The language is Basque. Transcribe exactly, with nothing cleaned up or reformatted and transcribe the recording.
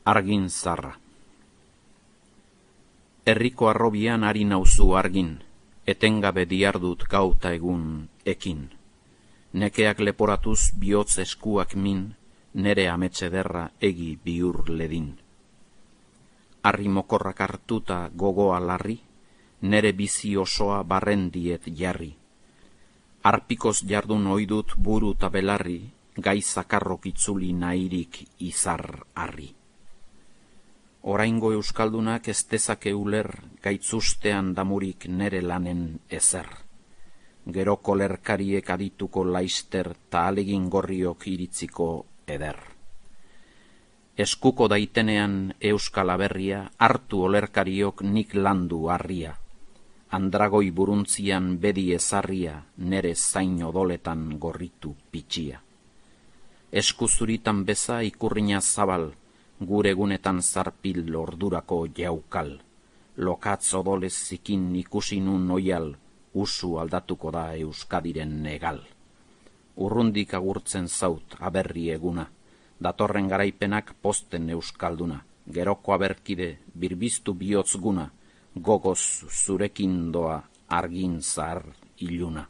Argin zarra. Herriko arrobian ari nauzu argin, etengabe diardut gauta egun ekin. Nekeak leporatuz bihotz eskuak min, nere ametsederra egi bihur ledin. Arri mokorrak hartuta gogoa larri, nere bizi osoa barren diet jarri. Arpikoz jardun oidut buru ta belarri, gai zakarrok itzuli nahirik izar harri. Oraingo euskaldunak ez dezake uler, gaitzustean damurik nere lanen ezer. Gero kolerkariek adituko laister ta alegin gorriok iritziko eder. Eskuko daitenean euskal aberria, hartu olerkariok nik landu harria. Andragoi buruntzian bedi ezarria, nere zain odoletan gorritu pitxia. Eskuzuritan beza ikurrina zabal, gure egunetan zarpil ordurako jaukal. Lokatz odolez zikin ikusi nun oial, usu aldatuko da Euskadiren negal. Urrundik agurtzen zaut aberri eguna, datorren garaipenak posten euskalduna, geroko aberkide birbiztu bihotz guna, gogoz zurekin doa argin zahar iluna.